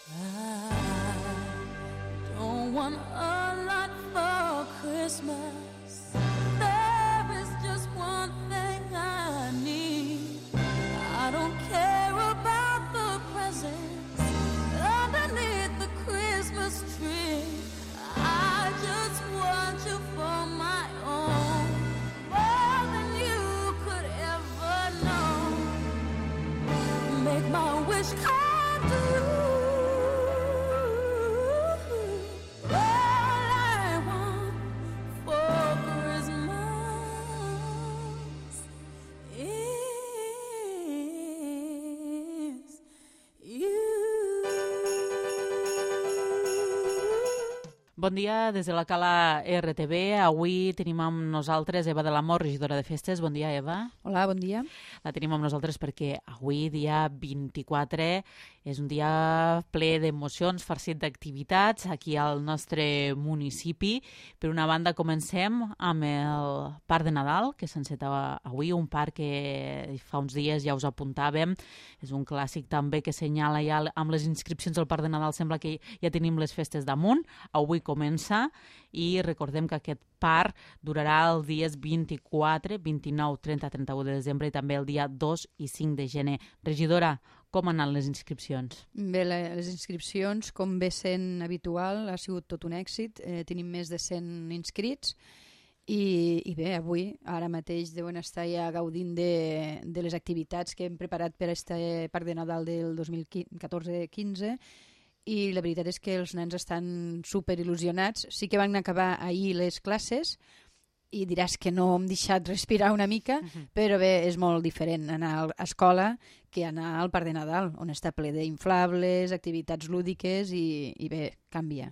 I don't want a lot for Christmas. There is just one thing I need. I don't care about the presents underneath the Christmas tree. I just want you for my own, more than you could ever know. Make my wish come true. Bon dia des de la Cala RTV. Avui tenim amb nosaltres Eva de l'Amor, regidora de festes. Bon dia, Eva. Hola, bon dia. La tenim amb nosaltres perquè avui, dia 24, és un dia ple d'emocions, farcit d'activitats aquí al nostre municipi. Per una banda, comencem amb el Parc de Nadal, que s'enceta avui, un parc que fa uns dies ja us apuntàvem. És un clàssic també que senyala ja amb les inscripcions al Parc de Nadal. Sembla que ja tenim les festes damunt. Avui comença i recordem que aquest parc durarà els dies 24, 29, 30, 31 de desembre i també el dia 2 i 5 de gener. Regidora, com han anat les inscripcions? Bé, les inscripcions, com bé sent habitual, ha sigut tot un èxit. Tenim més de 100 inscrits i bé, avui, ara mateix, deuen estar ja gaudint de les activitats que hem preparat per a este Parc de Nadal del 2014-15 i la veritat és que els nens estan super il·lusionats. Sí que van acabar ahir les classes i diràs que no hem deixat respirar una mica, però bé, és molt diferent anar a escola que anar al Parc de Nadal, on està ple d'inflables, activitats lúdiques i bé, canvia.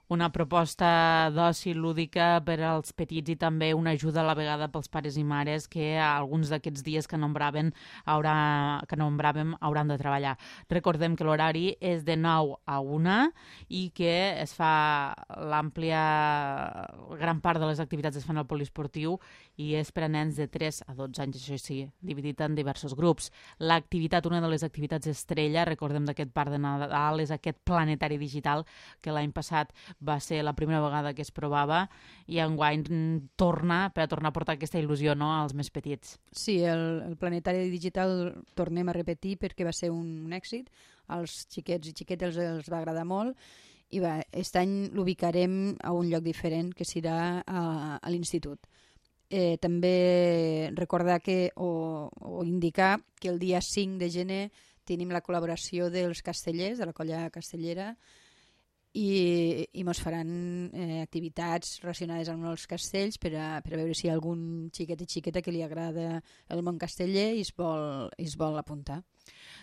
Una proposta d'oci lúdica per als petits i també una ajuda a la vegada pels pares i mares que alguns d'aquests dies que nombràvem hauran de treballar. Recordem que l'horari és de 9 a 1 i que es fa gran part de les activitats es fan al poliesportiu i és per a nens de 3 a 12 anys, això sí, dividit en diversos grups. L'activitat, una de les activitats estrella, recordem d'aquest Parc de Nadal, és aquest planetari digital que l'any passat va ser la primera vegada que es provava i enguany torna a portar aquesta il·lusió, no?, als més petits. Sí, el planetari digital tornem a repetir perquè va ser un èxit. Als xiquets i xiquetes els va agradar molt i aquest any l'ubicarem a un lloc diferent, que serà a l'institut. També recordar o indicar que el dia 5 de gener tenim la col·laboració dels castellers, de la colla castellera, i ens faran activitats relacionades amb els castells per a veure si hi ha algun xiquet i xiqueta que li agrada el món casteller i es vol apuntar.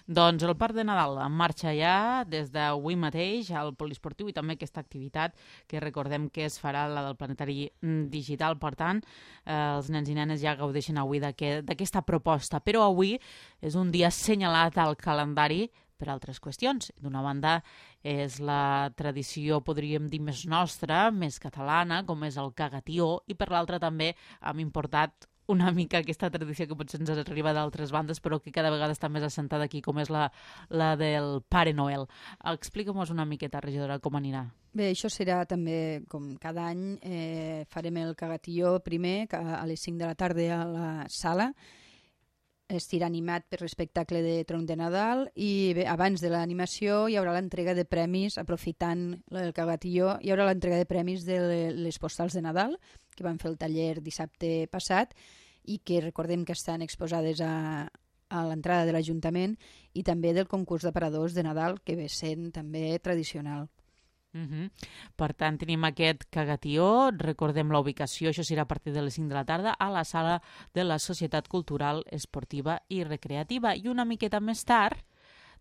Doncs el Parc de Nadal en marxa ja des d'avui mateix al poliesportiu i també aquesta activitat que recordem que es farà, la del planetari digital. Per tant, els nens i nenes ja gaudeixen avui d'aquesta proposta. Però avui és un dia assenyalat al calendari per altres qüestions. D'una banda, és la tradició, podríem dir, més nostra, més catalana, com és el cagatió, i per l'altra també hem importat una mica aquesta tradició que potser ens arriba d'altres bandes, però que cada vegada està més assentada aquí, com és la del Pare Noel. Explica'm-nos una miqueta, regidora, com anirà. Bé, això serà també, com cada any, farem el cagatió primer a les 5 de la tarda a la sala. Estirà animat per l'espectacle de Tronc de Nadal i bé, abans de l'animació hi haurà l'entrega de premis, aprofitant el cagatió, hi haurà l'entrega de premis de les postals de Nadal que van fer el taller dissabte passat i que recordem que estan exposades a l'entrada de l'Ajuntament i també del concurs d'aparadors de Nadal que ve sent també tradicional. Per tant, tenim aquest cagatió, recordem la ubicació, això serà a partir de les 5 de la tarda a la sala de la Societat Cultural, Esportiva i Recreativa. I una miqueta més tard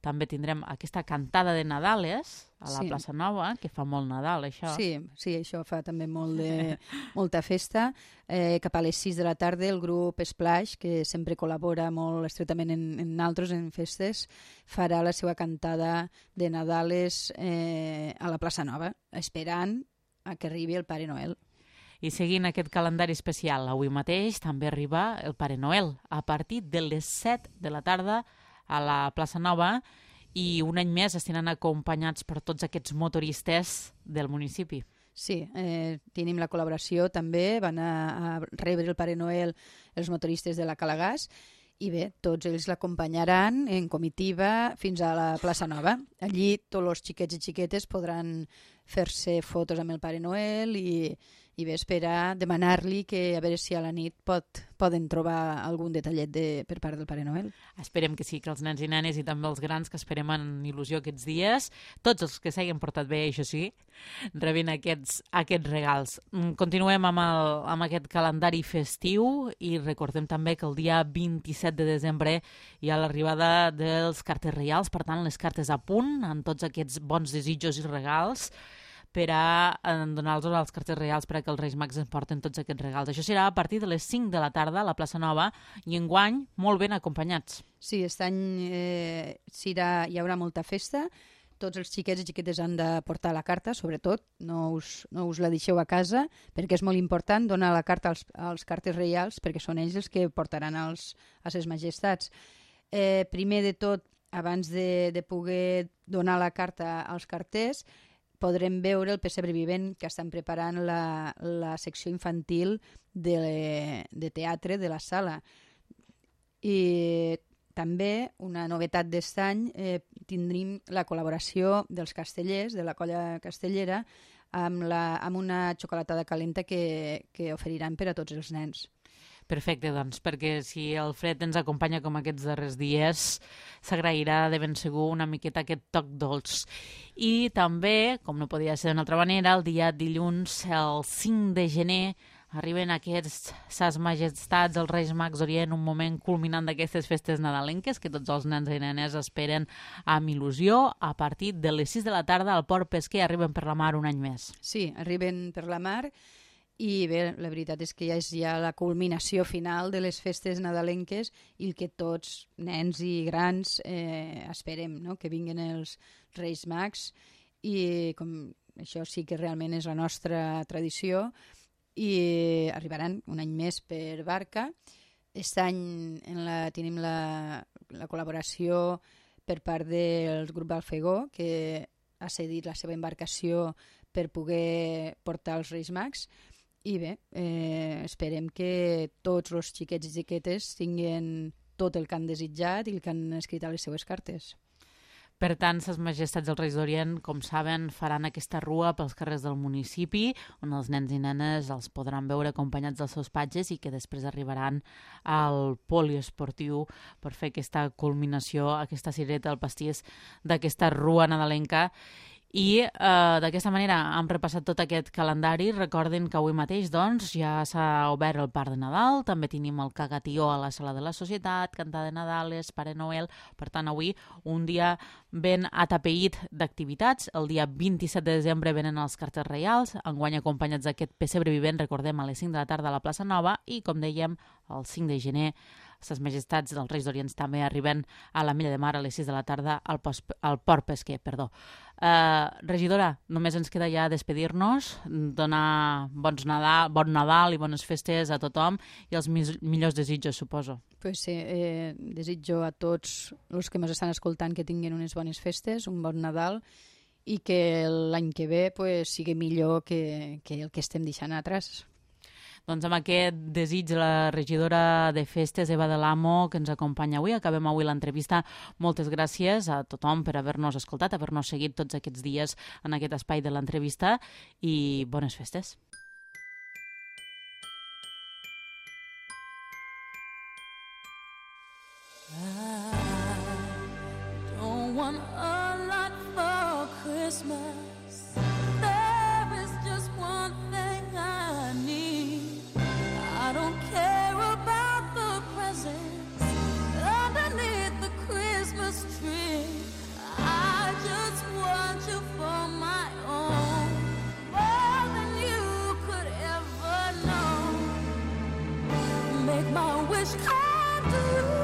també tindrem aquesta cantada de Nadales a la Plaça Nova, que fa molt Nadal, això. Sí, això fa també molta festa. Cap a les 6 de la tarda el grup Splash, que sempre col·labora molt estretament en altres, en festes, farà la seva cantada de Nadales a la Plaça Nova, esperant a que arribi el Pare Noel. I seguint aquest calendari especial, avui mateix també arriba el Pare Noel, a partir de les 7 de la tarda a la Plaça Nova, i un any més estiran acompanyats per tots aquests motoristes del municipi. Sí, tenim la col·laboració també, van a rebre el Pare Noel els motoristes de la Calagàs i bé, tots ells l'acompanyaran en comitiva fins a la plaça Nova. Allí tots els xiquets i xiquetes podran fer-se fotos amb el Pare Noel i bé, esperar, demanar-li que a veure si a la nit poden trobar algun detallet per part del Pare Noel. Esperem que sí, que els nens i nenes i també els grans que esperem en il·lusió aquests dies, tots els que s'hagin portat bé, això sí, rebin aquests regals. Continuem amb aquest calendari festiu i recordem també que el dia 27 de desembre hi ha l'arribada dels cartes reials, per tant, les cartes a punt, amb tots aquests bons desitjos i regals, per a donar-los als cartes reials perquè els Reis Mags ens porten tots aquests regals. Això serà a partir de les 5 de la tarda a la plaça Nova i enguany molt ben acompanyats. Sí, aquest any hi haurà molta festa. Tots els xiquets i xiquetes han de portar la carta, sobretot, no us la deixeu a casa, perquè és molt important donar la carta als cartes reials, perquè són ells els que portaran a ses majestats. Primer de tot, abans de poder donar la carta als carters, podrem veure el pessebre vivent que estan preparant la secció infantil de teatre de la sala. I també, una novetat d'aquest any, tindrim la col·laboració dels castellers, de la colla castellera, amb una xocolatada calenta que oferiran per a tots els nens. Perfecte, doncs, perquè si el fred ens acompanya com aquests darrers dies, s'agrairà de ben segur una miqueta aquest toc dolç. I també, com no podia ser d'una altra manera, el dia dilluns, el 5 de gener, arriben aquests Ses Majestats, els Reis Mags Orient, un moment culminant d'aquestes festes nadalenques que tots els nens i nenes esperen amb il·lusió. A partir de les 6 de la tarda al Port Pesquer arriben per la mar un any més. Sí, arriben per la mar. I bé, la veritat és que ja és la culminació final de les festes nadalenques i el que tots, nens i grans, esperem, no? Que vinguin els Reis Mags i com això sí que realment és la nostra tradició i arribaran un any més per barca. Aquest any tenim la col·laboració per part del grup Alfegó, que ha cedit la seva embarcació per poder portar els Reis Mags. I bé, esperem que tots els xiquets i xiquetes tinguin tot el que han desitjat i el que han escrit a les seues cartes. Per tant, Ses Majestats dels Reis d'Orient, com saben, faran aquesta rua pels carrers del municipi, on els nens i nenes els podran veure acompanyats dels seus patges i que després arribaran al poliesportiu per fer aquesta culminació, aquesta cireta al pastís d'aquesta rua nadalenca. I d'aquesta manera hem repassat tot aquest calendari. Recordin que avui mateix doncs, ja s'ha obert el Parc de Nadal, també tenim el Cagatió a la Sala de la Societat, Cantar de Nadales, Pare Noel. Per tant, avui un dia ben atapeït d'activitats. El dia 27 de desembre venen els cartes reials, enguany acompanyats d'aquest pessebre vivent, recordem, a les 5 de la tarda a la plaça Nova i, com dèiem, el 5 de gener Ses Majestats dels Reis d'Orient també arriben a la Milla de Mar a les 6 de la tarda al Port Pesquer. Regidora, només ens queda ja despedir-nos, donar bon Nadal i bones festes a tothom i els millors desitjos, suposo. Pues sí, desitjo a tots els que ens estan escoltant que tinguin unes bones festes, un bon Nadal i que l'any que ve sigui millor que el que estem deixant atrás. Doncs amb aquest desig de la regidora de festes, Eva de l'Amo, que ens acompanya avui. Acabem avui l'entrevista. Moltes gràcies a tothom per haver-nos escoltat, haver-nos seguit tots aquests dies en aquest espai de l'entrevista i bones festes. I don't want a lot for Christmas. I don't care about the presents underneath the Christmas tree. I just want you for my own, more than you could ever know. Make my wish come true.